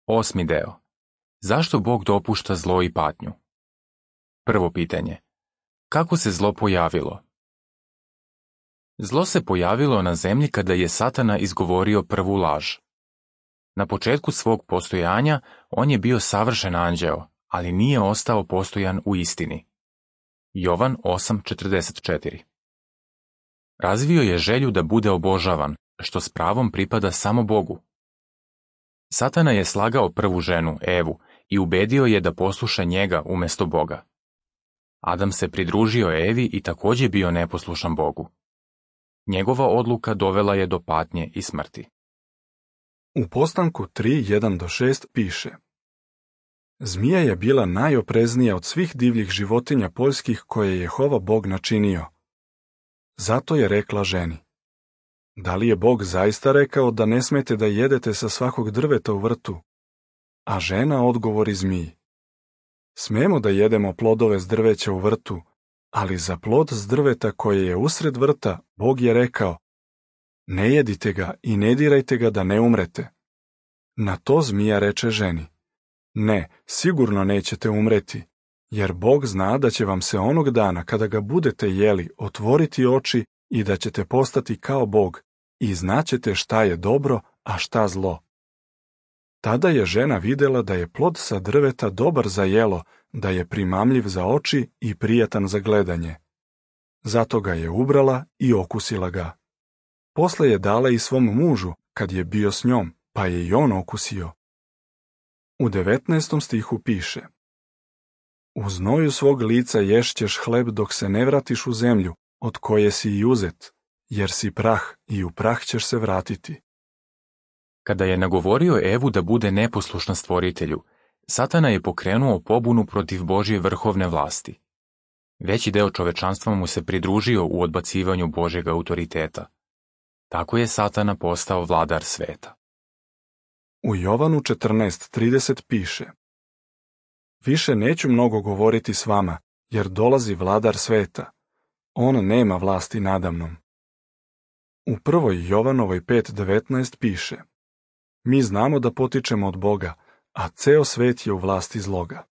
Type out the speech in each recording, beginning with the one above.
8. deo. Zašto Bog dopušta zlo i patnju? Prvo pitanje. Kako se zlo pojavilo? Zlo se pojavilo na zemlji kada je Satana izgovorio prvu laž. Na početku svog postojanja on je bio savršen anđeo, ali nije ostao postojan u istini. Jovan 8:44. Razvio je želju da bude obožavan, što s pravom pripada samo Bogu. Satana je slagao prvu ženu, Evu, i ubedio je da posluša njega umjesto Boga. Adam se pridružio Evi i također bio neposlušan Bogu. Njegova odluka dovela je do patnje i smrti. U Postanku 3:1-6 piše: Zmija je bila najopreznija od svih divljih životinja poljskih koje je Jehova Bog načinio. Zato je rekla ženi: Da li je Bog zaista rekao da ne smete da jedete sa svakog drveta u vrtu? A žena odgovori zmiji: Smemo da jedemo plodove s drveća u vrtu, ali za plod s drveta koje je usred vrta, Bog je rekao: Ne jedite ga i ne dirajte ga da ne umrete. Na to zmija reče ženi: Ne, sigurno nećete umreti, jer Bog zna da će vam se onog dana kada ga budete jeli otvoriti oči i da ćete postati kao Bog i znaćete šta je dobro, a šta zlo. Tada je žena vidjela da je plod sa drveta dobar za jelo, da je primamljiv za oči i prijatan za gledanje. Zato ga je ubrala i okusila ga. Posle je dala i svom mužu, kad je bio s njom, pa je i on okusio. U 19. stihu piše: U znoju svog lica ješćeš hleb dok se ne vratiš u zemlju, od koje si i uzet, jer si prah i u prah ćeš se vratiti. Kada je nagovorio Evu da bude neposlušna stvoritelju, Satana je pokrenuo pobunu protiv Božje vrhovne vlasti. Veći deo čovečanstva mu se pridružio u odbacivanju Božjeg autoriteta. Tako je Satana postao vladar sveta. U Jovanu 14:30 piše: Više neću mnogo govoriti s vama, jer dolazi vladar sveta. On nema vlasti nadamnom. U 1. Jovanovoj 5:19 piše: Mi znamo da potičemo od Boga, a ceo svet je u vlasti zloga.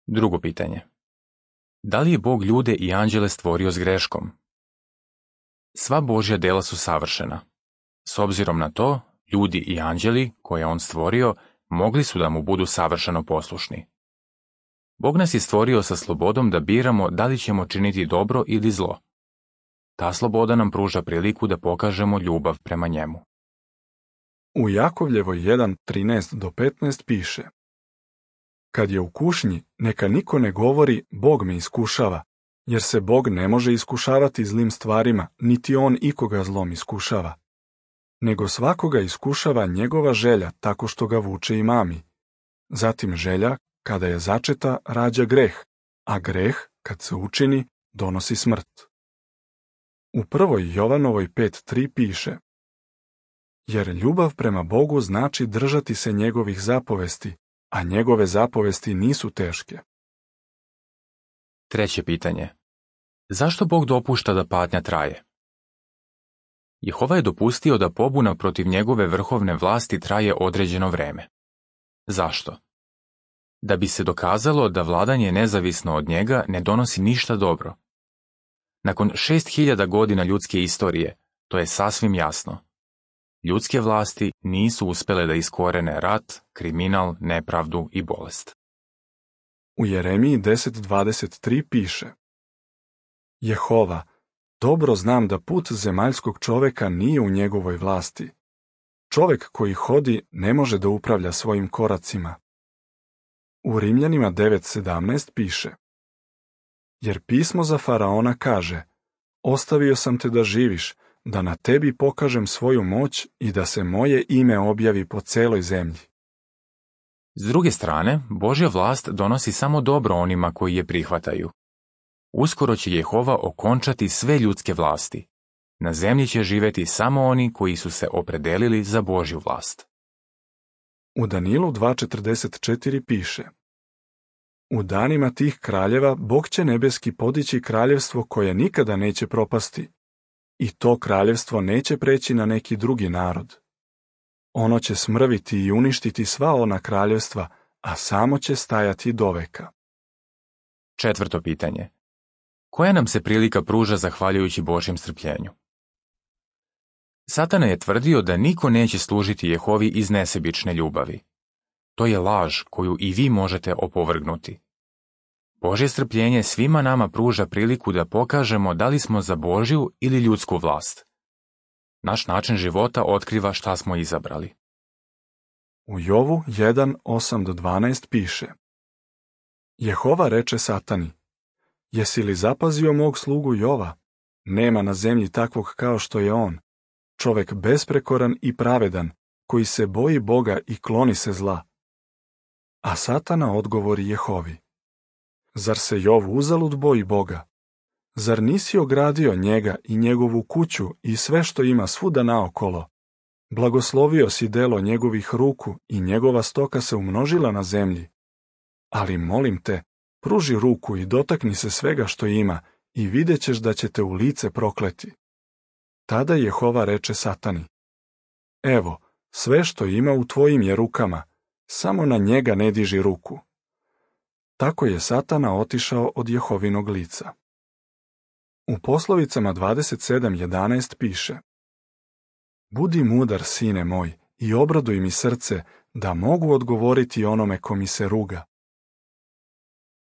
Drugo pitanje. Da li je Bog ljude i anđele stvorio s greškom? Sva Božja dela su savršena. S obzirom na to, ljudi i anđeli, koje je on stvorio, mogli su da mu budu savršeno poslušni. Bog nas je stvorio sa slobodom da biramo da li ćemo činiti dobro ili zlo. Ta sloboda nam pruža priliku da pokažemo ljubav prema njemu. U Jakovljevoj 1:13-15 piše: Kad je u kušnji, neka niko ne govori Bog me iskušava, jer se Bog ne može iskušavati zlim stvarima, niti on ikoga zlom iskušava. Nego svakoga iskušava njegova želja tako što ga vuče i mami. Zatim želja, kada je začeta, rađa greh, a greh, kad se učini, donosi smrt. U 1. Jovanovoj 5:3 piše: Jer ljubav prema Bogu znači držati se njegovih zapovesti, a njegove zapovesti nisu teške. Treće pitanje. Zašto Bog dopušta da patnja traje? Jehova je dopustio da pobuna protiv njegove vrhovne vlasti traje određeno vreme. Zašto? Da bi se dokazalo da vladanje nezavisno od njega ne donosi ništa dobro. Nakon 6000 godina ljudske istorije, to je sasvim jasno. Ljudske vlasti nisu uspjele da iskorene rat, kriminal, nepravdu i bolest. U Jeremiji 10:23 piše: Jehova, dobro znam da put zemaljskog čoveka nije u njegovoj vlasti. Čovek koji hodi ne može da upravlja svojim koracima. U Rimljanima 9:17 piše: Jer pismo za faraona kaže: Ostavio sam te da živiš, da na tebi pokažem svoju moć i da se moje ime objavi po celoj zemlji. S druge strane, Božja vlast donosi samo dobro onima koji je prihvataju. Uskoro će Jehova okončati sve ljudske vlasti. Na zemlji će živjeti samo oni koji su se opredelili za Božju vlast. U Danilu 2:44 piše: U danima tih kraljeva Bog će nebeski podići kraljevstvo koje nikada neće propasti, i to kraljevstvo neće preći na neki drugi narod. Ono će smrviti i uništiti sva ona kraljevstva, a samo će stajati doveka. 4. pitanje. Koja nam se prilika pruža zahvaljujući Božjem strpljenju? Satana je tvrdio da niko neće služiti Jehovi iz nesebične ljubavi. To je laž koju i vi možete opovrgnuti. Božje strpljenje svima nama pruža priliku da pokažemo da li smo za Božju ili ljudsku vlast. Naš način života otkriva šta smo izabrali. U Jovu 1:8-12 piše: Jehova reče Satani: Jesi li zapazio mog slugu Jova? Nema na zemlji takvog kao što je on, čovek besprekoran i pravedan, koji se boji Boga i kloni se zla. A Satana odgovori Jehovi: Zar se Jov uzalud boji Boga? Zar nisi ogradio njega i njegovu kuću i sve što ima svuda naokolo? Blagoslovio si delo njegovih ruku i njegova stoka se umnožila na zemlji. Ali molim te, pruži ruku i dotakni se svega što ima i vidjet ćeš da će te u lice prokleti. Tada Jehova reče Satani: Evo, sve što ima u tvojim je rukama, samo na njega ne diži ruku. Tako je Satana otišao od Jehovinog lica. U poslovicama 27:11 piše: Budi mudar, sine moj, i obraduj mi srce, da mogu odgovoriti onome ko mi se ruga.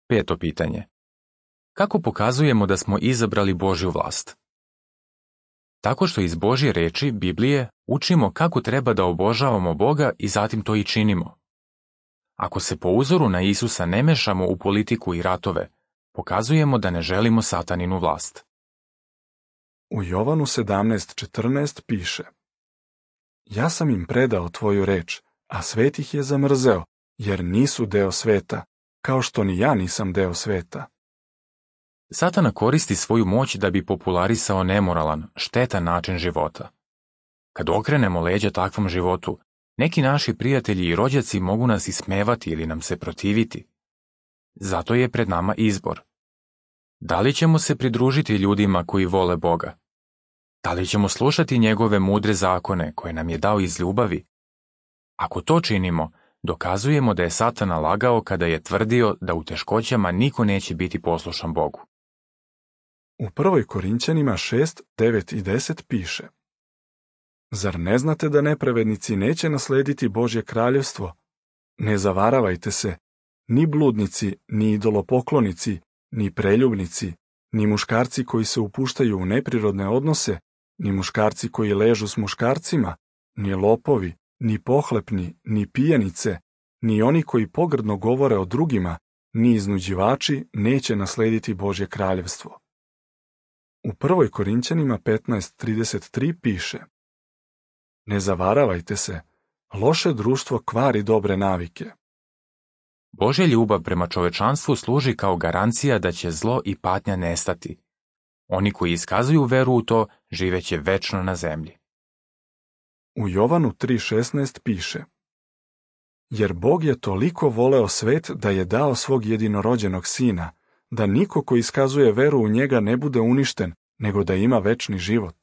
5. pitanje. Kako pokazujemo da smo izabrali Božju vlast? Tako što iz Božje reči, Biblije, učimo kako treba da obožavamo Boga i zatim to i činimo. Ako se po uzoru na Isusa ne mešamo u politiku i ratove, pokazujemo da ne želimo Sataninu vlast. U Jovanu 17:14 piše: Ja sam im predao tvoju reč, a svet ih je zamrzeo, jer nisu deo sveta, kao što ni ja nisam deo sveta. Satana koristi svoju moć da bi popularisao nemoralan, štetan način života. Kad okrenemo leđa takvom životu, neki naši prijatelji i rođaci mogu nas ismevati ili nam se protiviti. Zato je pred nama izbor. Da li ćemo se pridružiti ljudima koji vole Boga? Da li ćemo slušati njegove mudre zakone koje nam je dao iz ljubavi? Ako to činimo, dokazujemo da je Satana lagao kada je tvrdio da u teškoćama niko neće biti poslušan Bogu. U 1. Korinćanima 6:9 i 10 piše: Zar ne znate da nepravednici neće naslediti Božje kraljevstvo? Ne zavaravajte se, ni bludnici, ni idolopoklonici, ni preljubnici, ni muškarci koji se upuštaju u neprirodne odnose, ni muškarci koji ležu s muškarcima, ni lopovi, ni pohlepni, ni pijanice, ni oni koji pogrdno govore o drugima, ni iznuđivači neće naslediti Božje kraljevstvo. U 1. Korinćanima 15:33 piše: Ne zavaravajte se, loše društvo kvari dobre navike. Božja ljubav prema čovečanstvu služi kao garancija da će zlo i patnja nestati. Oni koji iskazuju veru u to živeće večno na zemlji. U Jovanu 3:16 piše: Jer Bog je toliko voleo svet da je dao svog jedinorođenog sina, da niko ko iskazuje veru u njega ne bude uništen, nego da ima večni život.